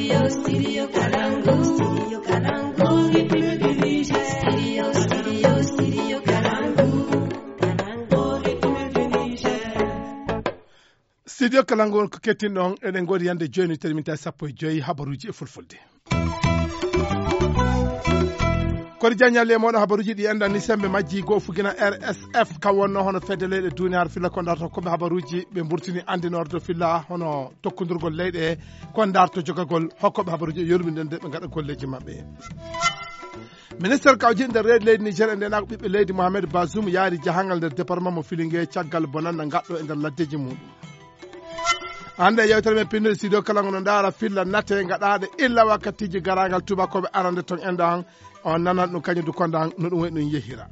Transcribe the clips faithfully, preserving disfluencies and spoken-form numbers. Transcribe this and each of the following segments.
Studio Kalangu on ko kettinɗon, eɗen ngoodi yande jooni terminta sappo e joyi habaruuji e fulfulde. Kori jaññalle e mooɗon habaruuji ɗi enɗan ni sembe majji goo fugina R S F, ka wonno hono fedde leyɗe duniyaaru filla ko ndarto koɓe habaruuji ɓe mburtini andinorde filla hono tokkondirgol leyɗe ko ndarto jogagol hokkoɓe habaruuji e yurminde nde ɓe ngaɗa golleeji maɓɓe. Ministre kawjiɗo nder reedu leydi Niger e ndenaako ɓiɓɓe leydi Mohamed Bazoum yaari jahangal nder département mo Filinge caggal bonanda ngaɗɗo e nder laddeji muɗum. Hannde e yewtere men pinnude studio kala ngono ndaara filla nate ngaɗaaɗe illa wakkatiji garagal tubakoɓe arande ton enɗan. On nanan ɗum kañum du kondan no ɗum woni ɗum yehira.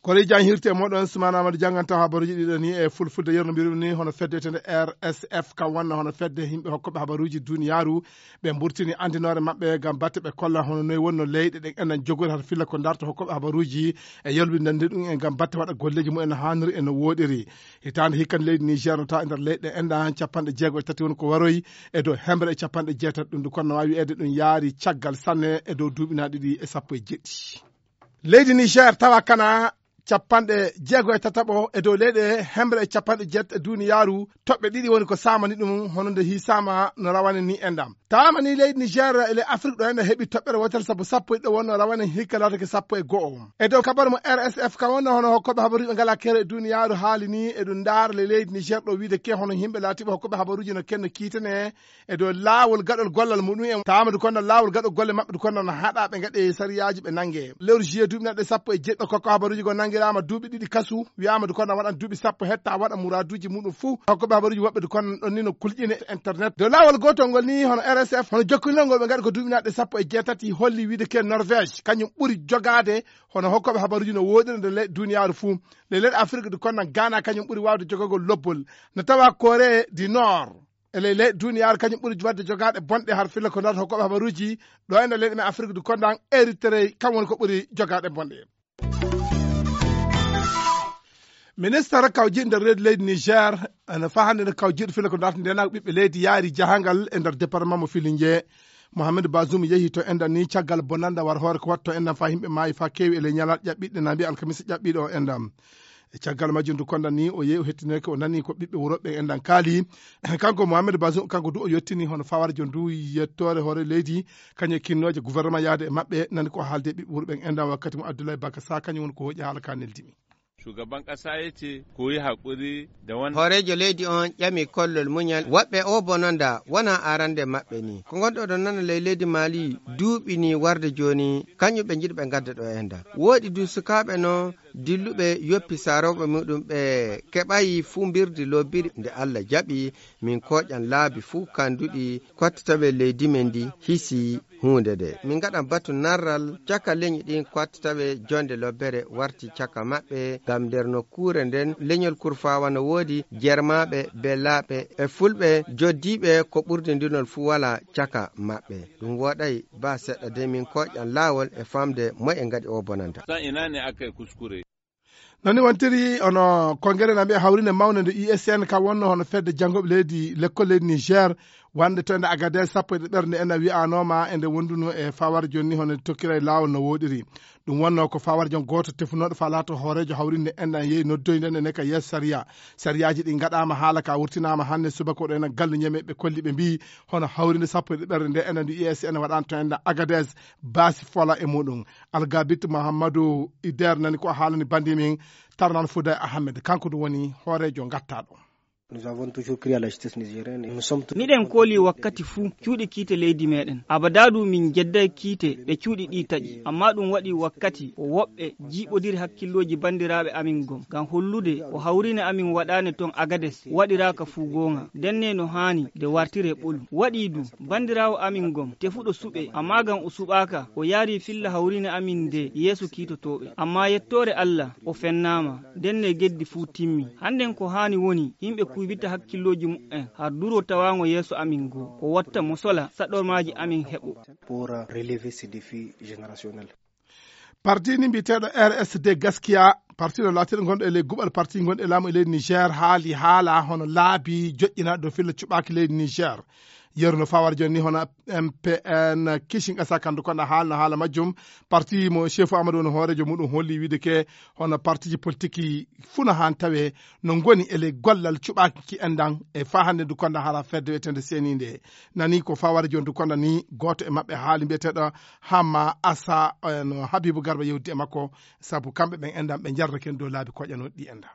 Kori jan hirte moɗon Sumana Amadou janganta habaruji ɗiɗo ni e fulfulde yerno mbirum ni hono fedde etende R S F ka wonno hono fedde yimɓe hokkoɓe habaruji duniyaaru ɓe mburtini andinore maɓɓe ngam batte ɓe kolla hono noy wonno leyɗe ɗen enen jogori hata filla ko darto hokkoɓe habaruji e yolbinde ɗum en ngam batte waɗa golleji mumen no haniri e no woɗiri. Hitande hikkan leydi Niger no tawa e nder leyɗe enɗan capanɗe jeego e tati woni ko waroyi e dow hemre e capanɗe jeetati ɗum du kono no wawi wiyeede ɗum yaari caggal sanne e dow duuɓi na ɗiɗi e sappo e jeɗɗi. Leydi Niger tawa kana capanɗe jeego e tataɓo e dow leyɗe hemre e capanɗe jeetati e duniyaaru toɓɓe ɗiɗi woni ko samani ɗum hono nde hisama no rawane ni enɗam. Tawama ni leydi Niger e le Afrique ɗo enɗa heɓi toɓɓere wotere sabu sappo e ɗiɗo wonno rawane hikka latake sappo e go'o. E dow kabaru mo R S F ka wonno hono hokkoɓe habaruji ɓe ngala kere e duniyaaru haali ni e ɗum ndaara le leydi Niger ɗo wiide ke hono yimɓe laatiɓe hokkoɓe habaruji no kenno kiitene e dow laawol gaɗol gollal muɗum en. Tawama du kono laawol gaɗol golle maɓɓe du kono no haɗa ɓe gaɗe sariyaaji ɓe nange. Lewru juillet duuɓi naɗɗe sappo e jeɗɗo kokko habaruji go nangirama duuɓi ɗiɗi kasu wiyama du kono waɗan duuɓi sappo hetta waɗa muraduji muɗum fuu. Kokkoɓe habaruji woɓɓe du kono ɗon ni no kulƴine internet. Dow laawol gotol ngol ni hono R S F hono jokkinol ngol ɓe gaɗi ko duuɓi naɗɗe sappo e jeetati holli wiide ke Norvège kañum ɓuri jogaade hono hokkoɓe habaruji no woɗiri nde le duniyaaru fuu. Le leyɗe Afrique du kono Ghana kañum ɓuri wawde jogagol lobbol. No tawa Corée du Nord e ley leyɗe duniyaaru kañum ɓuri wadde jogaade bonɗe har filla ko darata hokkoɓe habaruji ɗo e nder leyɗe men Afrique du Kondan Eritrea kam woni ko ɓuri jogaade bonɗe. Ministre kawjiɗo nder reedu leydi Niger ene faa hannde no kawjiɗo filla ko darata ndenaago ɓiɓɓe leydi yaari jahangal e nder département mo Filinge. Mohamed Bazoum yehi to enɗan ni caggal bonanda war hoore ko watto enɗan faa yimɓe maayi faa keewi e ley ñalaaɗe ƴaɓɓiɗe na mbiya alkamisa ƴaɓɓiɗo o enɗan. E caggal majjum du kondan ni o yehi o hettineke o nani ko ɓiɓɓe wuro ɓe enɗan kaali. Kanko Mohamed Bazoum kanko du o yettini hono fawarjo ndu yettoore hoore leydi kañum e kinnooje gouvernement yaade e maɓɓe nani ko haalde e ɓiɓɓe wuro ɓen enɗan wakkati mo Abdoulaye Baka Sa kañum woni ko hoƴi haala ka neldimi. Shugaban kasa ya ce ku yi haƙuri da wannan. Hooreejo leydi on ƴami kollol muñal woɓɓe o bononda wona arande maɓɓe ni ko ngonɗo ɗo nana ley leydi Mali duuɓi ni warde jooni kañum ɓe njiɗi ɓe ngadda ɗo enɗan woɗi du sukaaɓe no dilluɓe yoppi saarooɓe muɗum ɓe keɓayi fuu mbirdi lobbiri nde Allah jaɓi min koƴan laabi fuu kanduɗi kottataɓe leydi men ndi hisi huunde nde min ngaɗan batu narral caka leñi ɗin kottataɓe jonde lobbere warti caka maɓɓe ngam nder nokkuure nden leñol kurfawa no woodi jermaɓe belaɓe e fulɓe joddiɓe ko ɓurdi ndinol fuu wala caka maɓɓe ɗum woɗay ba seɗɗa de min koƴan laawol e famde moye ngaɗi o bonanta. San ina ne aka yi kuskure. Nani wontiri ono kongere na mbiya hawrinde mawnde nde U S N ka wonno hono fedde janngoɓe leydi lekkol leydi Niger wonde to ende Agadez sappo e ɗiɗi ɓernde ena wiyanoma ende wonduno e fawar jonni hono tokkira e laawol no woɗiri. Ɗum wonno ko fawar jon gooto tefunoɗo fa laato hooreejo hawrinde enɗan yehi noddoyde nde ka yeeso sariya. Sariyaaji ɗi ngaɗaama haala ka wurtinaama hannde subaka o ɗo ena gallu ñeme ɓe kolli ɓe mbiyi hono hawrinde sappo e ɗiɗi ɓernde nde ena ndu U S N waɗaano to enɗan Agadez baasi fola e muɗum. Algabit Mahamadou Ider nani ko haalani bandi min Tarnan Fouda Ahmed kanko ɗum woni hooreejo ngattaɗo. Nous avons toujours crié à la justice nigérienne et nous sommes toujours. Miɗen kooli wakkati fuu cuuɗi kiite leydi meɗen. Abada du min jedday kiite ɗe cuuɗi ɗi taƴi. Amma ɗum waɗi wakkati ko woɓɓe jiiɓodiri hakkillooji bandiraaɓe amin gom. Ngam hollude ko hawriine amin waɗaane ton Agades waɗiraaka fuu goonga. Ndenne no haani nde wartiree ɓolum. Waɗii du bandiraawo amin gom tefuɗo suɓee, amma ngam o suɓaaka, o yaarii filla hawriine amin nde yeeso kiitotooɓe. Amma yettoore Alla, o fennaama, ndenne geddi fuu timmi. Hannden ko haani woni yimɓe kuybita hakkillooji muɓɓen har duro tawaango yeeso amin goo, ko watta mo sola saɗormaaji amin heɓo. Pour relever ces défis générationnels. Parti ni mbiyeteeɗo R S D Gaskiya, parti ɗo laatiiɗo gonɗo e ley guɓal parti gonɗo e laamu e leydi Niger, haali haala hono laabi joƴƴinaaɗo dow filla cuɓaaki leydi Niger. Yeru no fawara jooni ni hono M P N Kishin Asa Kandu Konda haalno haala majjum. Parti mo chef Amadou woni hooreejo muɗum holli wiide ke hono partiji politiki fuu no haan tawe no ngoni e ley gollal cuɓaaki ki enɗan e faa hannde ndu konda hara fedde wiyeteende C N I nde. Nani ko fawara jooni ndu konda ni gooto e maɓɓe haali mbiyeteeɗo Hamma Asa, eh, no Habibu Garba yewti e makko, sabu kamɓe ɓen enɗan ɓe njarda ken dow laabi koƴanooɗi ɗi enɗan.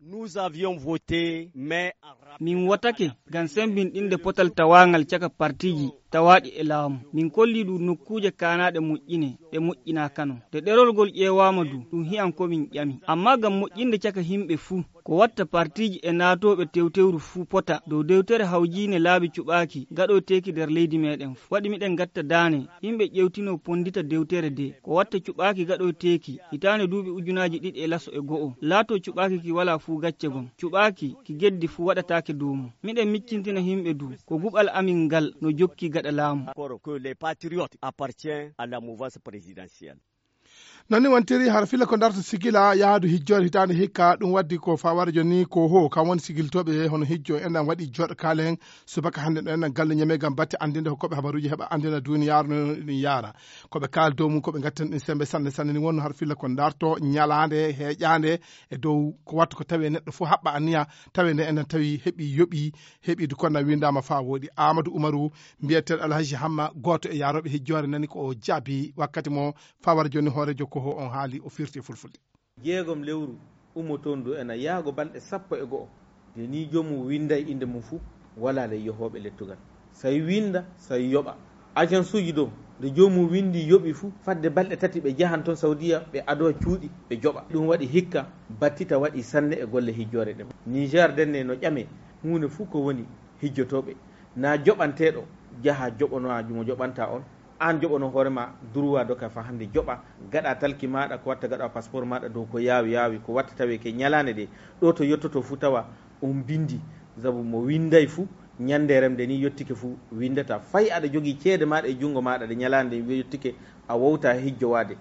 Nous avions voté, mais en rappel Min wotake ngam semmbinɗinde potal tawaangal caka partiiji tawaaɗi e laamu. Min kolli ɗum nokkuuje kaanaaɗe moƴƴine, ɗe moƴƴinaakano. Nde ɗerol ngol ƴeewaama du, ɗum hiyan ko min ƴami. Ammaa ngam moƴƴinde caka yimɓe fuu, ko watta partiiji e naatooɓe tewtewru fuu pota dow dewtere hawjiine laabi cuɓaaki gaɗoyteeki nder leydi meeɗen fuu. Waɗi miɗen ngatta daane, yimɓe ƴeewtinoo ponndita dewtere de, ko watta cuɓaaki gaɗoyteeki hitaande duuɓi ujunaaji ɗiɗi e laso e go'o, laatoo cuɓaaki ki walaa fuu gacce gom, cuɓaaki ki geddi fuu waɗataake dow mum. Miɗen miccintina yimɓe du, ko guɓal amin ngal no jokki gaɗa laamu. Encore que les patriotes appartiennent à la mouvance présidentielle. Non ni wontiri, hara filla ko ndarto sigila yahaadu hijjoore hitaande hikka, ɗum waddi ko fawara jooni ko ho, kam woni sigiltooɓe hono hijjo en ɗan waɗi jooɗo kaalen subaka hannde ɗo en ɗan galle Ñame ngam batte anndinde hokkoɓe habaruuji heɓa anndina duuniyaaru no ɗum yaara. Ko ɓe kaal dow mum, ko ɓe ngattani ɗum sembe sanne sanne ni wonno hara filla ko ndarto ñalaande heeƴaande e dow ko wattu ko tawi neɗɗo fof haɓɓa anniya tawi nde en ɗan tawi heɓi yoɓi, heɓi du konna windaama faa wooɗi. Amadou Umaru, mbiyeteeɗo Alhaji Hamma, gooto e yaarooɓe hijjoore nani ko o jaabi wakkati mo fawara jooni hooreejo ko ho on haali o firti e fulfulde. Jeegom lewru ummotoondu ena yaago balɗe sappo e go'o. Nde nii joomum winnday innde mum fuu, walaa ley yohooɓe lettugal. Say winnda, say yoɓa. Ajansuuji dow, nde joomum winndi yoɓi fuu, fadde balɗe tati ɓe njahan toon Sawdiya, ɓe adowa cuuɗi, ɓe joɓa. Ɗum waɗi hikka, battita waɗi sanne e golle hijjoore ɗen. Niger ndenne no ƴamee, huunde fuu ko woni hijjotooɓe. Naa joɓanteeɗo jaha joɓonoa mo joɓantaa on. Aan joɓono hoore maa droit doka faa hannde joɓa, gaɗa talki maaɗa, ko watta gaɗa passeport maaɗa dow ko yaawi yaawi, ko watta tawee ke ñalaande ɗe, ɗo to yottoto fuu tawa on binndi. Sabu mo winnday fuu, ñannde remde ni yottike fuu winndata. Fay aɗa jogii ceede maaɗa e junngo maaɗa ɗe ñalaande nde yottike, a wowta hijjowaade.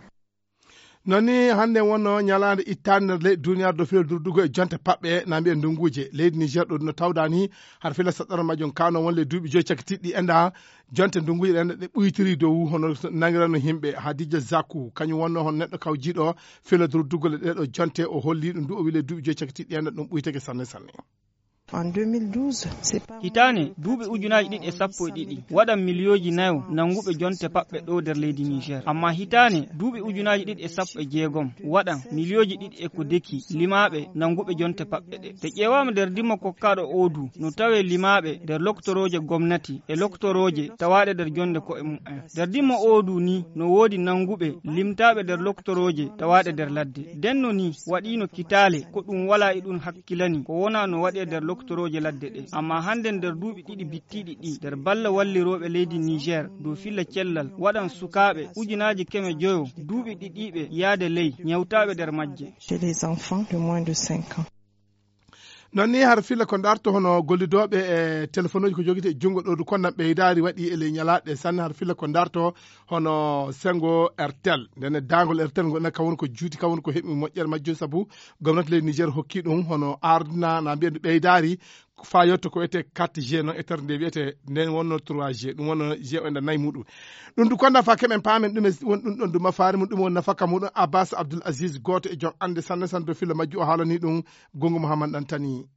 Non ni hannde wonno ñalaande ittaande nder leyɗe duuniyaaru dow filo durdugo e jonte paɓɓe, na mbiyen ndunguuje. Leydi Niger ɗo no tawda ni, har fila saɗɗoro majjum kano won le duuɓi joyi cakitiiɗi enɗa, jonte ndunguuje ɗen ɗe ɓuytiri dow hono nangirano yimɓe. Hadija Zaku, kañum wonno hono neɗɗo kawjiiɗo filo durdugo le ɗeɗo jonte, o holli ɗum du, o wi le duuɓi joyi cakitiiɗi enɗa ɗum ɓuytake sanne sanne. En deux mille douze, c'est pas Hitaane duuɓi ujunaaji ɗiɗi e sappo e ɗiɗi waɗan miliyooji nayo nannguɓe jonte paɓɓe ɗo nder leydi Niger. Amma hitaane duuɓi ujunaaji ɗiɗi e sappo e jeegom waɗan miliyooji ɗiɗi e ko deki limaaɓe nannguɓe jonte paɓɓe ɗe. Nde ƴeewaama nder dimma kokkaaɗo oo du, no tawee limaaɓe nder loktorooje gomnati e loktorooje tawaaɗe nder jonde ko'e mum'en. Nder dimma oo du ni, no woodi nannguɓe limtaaɓe nder loktorooje tawaaɗe nder ladde. Ndenno ni, waɗiino kitaale ko ɗum walaa e ɗum hakkilani ko wonaa no waɗee nder loktorooje ladde ɗe. Amma hannde nder duuɓi ɗiɗi bittiiɗi ɗi, nder balla wallirooɓe leydi Niger dow filla cellal, waɗan sukaaɓe ujunaaji keme joyo duuɓi ɗiɗiiɓe yaade ley ñawtaaɓe nder majje. Chez les enfants de moins de cinq ans. Non ni har filla ko ndarto hono gollidooɓe e telefonuuji ko jogiti e junngo ɗo du, kono ɓeydaari waɗi e ley ñalaaɗe sanne har filla ko ndarto hono senngo Airtel. Ndenne daangol Airtel ngol enen kam woni ko juuti, kam woni ko heɓi moƴƴere majjum, sabu gomnati leydi Niger hokki ɗum hono ardina na mbiyen ɓeydaari faa yotto ko wiyetee quatre G non e terde nde wiyetee nden wonno trois G, ɗum wonno G o e nder nayi muɗum. Ɗum du konda faa keɓen paamen ɗum e won ɗum ɗon du mafaari mum, ɗum won nafaka muɗum. Abbas Abdoul Aziz, gooto e jom annde sanne sanne dow filla majju, o haalani ɗum Gongo Mouhammad Dantani.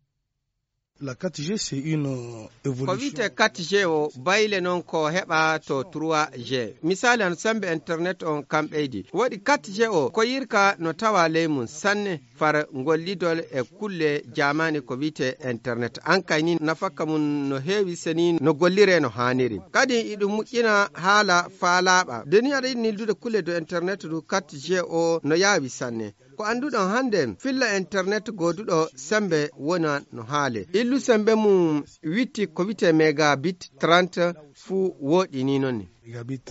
La quatre G, c'est une, euh, ko évolution. Wiyetee quatre G o bayle noon ko heɓa to trois G. Misaali an, sembe internet on kam ɓeydi. Waɗi quatre G o ko yirka no tawa ley mum sanne far gollidol e kulle jaamaani ko wiyetee internet. An kay ni nafaka mum no heewi seni no golliree no haaniri. Kadi iɗum moƴƴina haala faalaaɓa. Nde ni aɗa yiɗi nildude kulle dow internet du quatre G o no yaawi sanne. Ko annduɗon hannde, filla internet gooduɗo sembe wona no haale. Illu sembe mum witti ko wiyetee megabit trente fuu wooɗi ni noon ni. Megabit.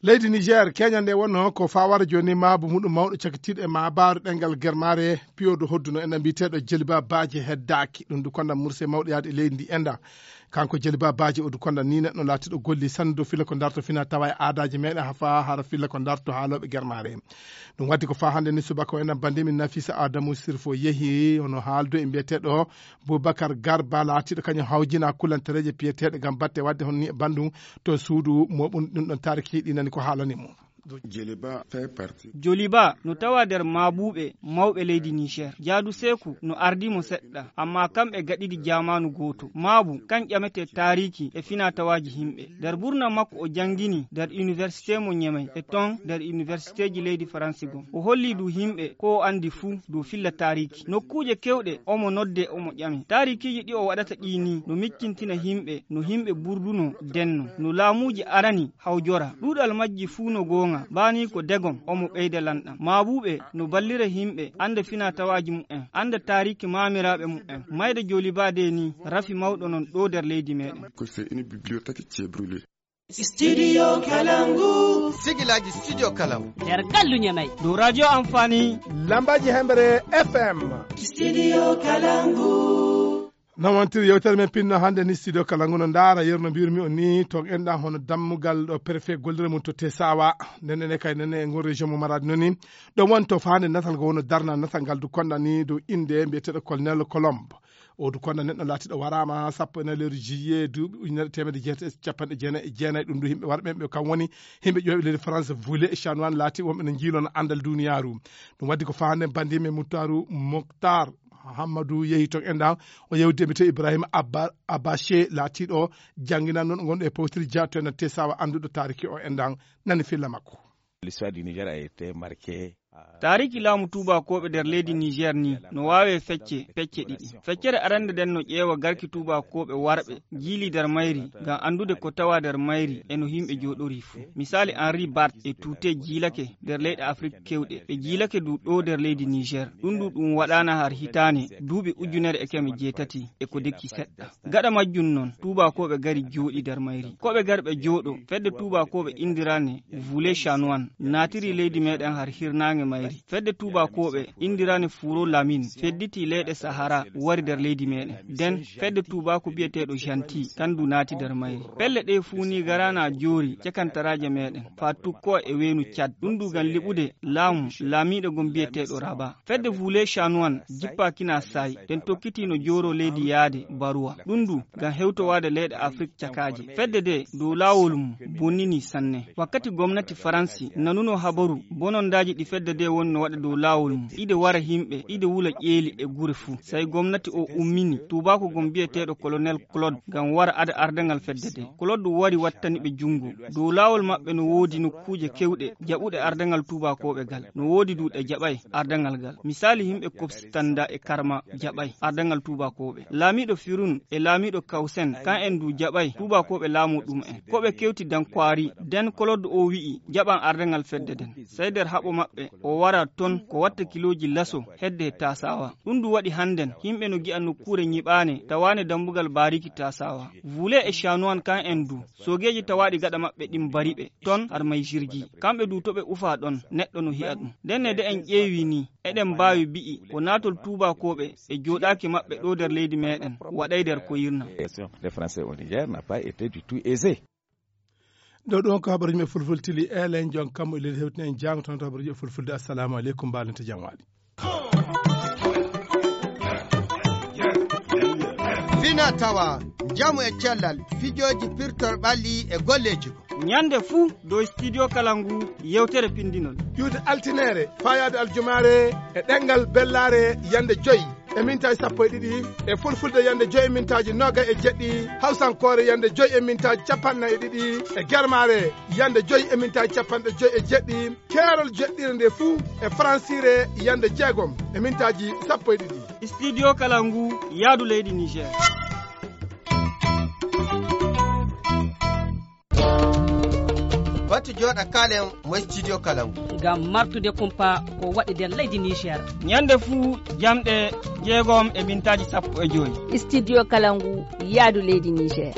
Leydi Niger, keñal nde wonno ko fawara jooni maabu muɗum mawɗo cakitiiɗo e maabaru ɗemngal Germare, piyodo hodduno ena mbiyeteeɗo Jeliba Baaji heddaaki. Ɗum du konda murse mawɗo yaade e leydi ndi enda. Kanko Jeli Ba Baaji Odu Konda ni neɗɗo laatiiɗo golli sanne dow filla ko darto fina tawa e aadaaji meɗen, haa faa hara filla ko darto haalooɓe germaare. Ɗum waddi ko faa hannde ni subaka o enen banndi min Nafisa Adamu Sirfo yehi hono haaldu e mbiyeteeɗo Boubacar Garba laatiiɗo kañum hawjina kulantereeje piyeteeɗe ngam batte wadde hono ni e banndum to suudu mooɓun ɗum ɗon taariki ɗi nani ko haalani mo. Joliba fait partie. Joliba no tawa nder maabuuɓe mawɓe leydi Niger. Jaadu Seeku no ardii mo seɗɗa, ammaa kamɓe gaɗidi jaamaanu gooto. Maabu kan ƴametee taariiki e finaa-tawaaji yimɓe. Nder ɓurnam makko o janngini nder université mo Ñemey e ton nder universitéji leydi Faransi gom. O holli du yimɓe ko o anndi fuu du filla taariiki. Nokkuuje kewɗe omo nodde omo ƴame. Taariikiiji ɗi o waɗata ɗii ni no miccintina yimɓe no yimɓe ɓurduno denno. No laamuuji arani hawjora. Ɗuuɗal majji fuu no goonga, baa ni ko degom omo ɓeyda lanɗam. Maabuuɓe no ballira yimɓe annda finaa-tawaaji mumen, annda taariiki maamiraaɓe mumen. Mayde Joliba de ni rafi mawɗo non ɗo nder leydi meɗen. Que c'est une bibliothèque qui est brûlée. Studio Kalangu. Sigilaaji Studio Kalangu. Nder gallu Ñamey. Dow Radio Amfani. Lambaaji Hemre F M. Studio Kalangu. Nawantiri yewtere men pinno hannde ni Studio Kalangu no ndaara yeru no mbiyirmi on ni to enɗan hono dammugal ɗo préfet gollira mum to Tesawa. Nden ene kay nen e ngol région mo Maradi noon ni. Ɗo woni to faande natal ngo wono darna natal ngal du konɗa ni dow innde mbiyeteeɗo Colonel Colombe. O du konɗa neɗɗo laatiiɗo waraama sappo e nayi lewru juillet duuɓi ujunere teemedde jeetati e capanɗe jeenayi e jeenayi. Ɗum du yimɓe warɓe ɓe kam woni yimɓe ƴooɓe leydi France Voulé e Chanoine laati wonɓe no njiilona anndal duniyaaru. Ɗum waddi ko faande banndi men Muttaaru Moktar Hammadu yehi toon enɗan, o yewti e mbiyetee Ibrahima Abba, Abache laatiiɗo jannginanno ɗo ngonɗo e Pawtiri Dia to enɗan Tesawa annduɗo taariki o enɗan nani filla makko. L'histoire du Niger a été marquée. Taariki laamu tuubakooɓe nder leydi Niger ni no waawe fecce, pecce ɗiɗi. Feccere arande nden no ƴeewa garki tuubakooɓe warɓe jiili nder mayri ngam anndude ko tawa nder mayri e no yimɓe jooɗori fuu. Misaali Henri Bart e Tuute jiilake nder leyɗe Afrik kewɗe, ɓe jiilake du ɗo nder leydi Niger. Ɗum du ɗum waɗaana har hitaane duuɓi ujunere e keme jeetati e ko dekki seɗɗa. Gaɗa majjum non, tuubakooɓe gari jooɗi nder mayri. Ko ɓe gari ɓe jooɗo, fedde tuubakooɓe indirane Voulé Chanoine naatiri leydi meɗen har hirnaange mayri. Fedde tuubakooɓe indirane Furo Lamine fedditi leyɗe Sahara wari nder leydi meɗen. Den fedde tuubaako biyeteeɗo Gentil kandu naati nder mayri. Pelle ɗe fuu ni garana joori cakantaraaje meɗen, faa tukko e weenu Cad. Ɗum du ngam liɓude laamu laamiiɗo gom biyeteeɗo Raba. Fedde Voulé Chanoine jippaakina saay, den tokkiti no jooro leydi yaade Baruwa. Ɗum du ngam hewtowaade leyɗe Afrik cakaaje. Fedde de dow laawol mum bonnini sanne. Wakkati gomnati Faransi nanuno habaru bonondaaji ɗi fedde de woni no waɗa dow laawol mum, ide wara yimɓe, ide wula ƴeeli e gure fuu. Sai gomnati o ummini tuubaaku gom biyeteeɗo Colonel Claude ngam wara ada ardangal fedde de. Claude wari wattani ɓe junngo. Dow laawol maɓɓe no woodi nokkuuje kewɗe jaɓuɗe ardangal tuubakooɓe gal. No woodi du ɗe jaɓay ardangal gal. Misaali yimɓe Kobsi Tanda e Karma jaɓay ardangal tuubakooɓe. Laamiiɗo Firun e laamiiɗo Kawsen kan en du jaɓay tuubakooɓe laamu ɗum en. Ko ɓe kewti dan kwaari, den Claude o wi'i jaɓan ardangal fedde den. Sai nder haɓo maɓɓe o wara ton ko watta kilooji laso hedde e Tasawa. Ɗum du waɗi hannden yimɓe no gi'a nokkuure nyiɓaane tawaane dambugal baariki Tasawa. Voulé e Chanoine kan en du, soogeeji tawaaɗi gaɗa maɓɓe ɗin bari ɓe ton har may jirgi. Kamɓe du to ɓe ufa ɗon, neɗɗo no hi'a ɗum. Nden ne de en ƴeewi ni, eɗen mbaawi bi'i ko naatol tuubakooɓe e jooɗaaki maɓɓe ɗo nder leydi meɗen waɗay nder ko yirna. Les Français au Niger n'a pas été du tout aisé. Ɗo ɗum ko habaruji men fulfulde tili elen jon kammu e leydi hewtini en jaango tan to habaruji e fulfulde. Assalamu aleykum, mbaalante jam waali. Fina tawa, njamu e cellal, fijooji pirtor ɓalli e golleeji ko. Ñande fuu dow Studio Kalangu yewtere pindinol. Iwde altinere, faayaade aljumaare e ɗemngal bellaare yande joy e mintaaji sappo e ɗiɗi, e fulfulde yande joy e mintaaji noogay e jeɗɗi, hawsankoore yande joy e mintaaji capanɗe nayi e ɗiɗi, e germaare yande joy e mintaaji capanɗe joy e jeɗɗi, keerol joɗɗire nde fuu e faransiire yande jeegom e mintaaji sappo e ɗiɗi. Studio Kalangu, yaadu leydi Niger. Batu jooɗa kaalen mo Studio Kalangu. Ngam martude kumpa ko waɗi nder leydi Niger. Ñande fuu jamɗe jeegom e mintaaji sappo e joy. Studio Kalangu, yaadu leydi Niger.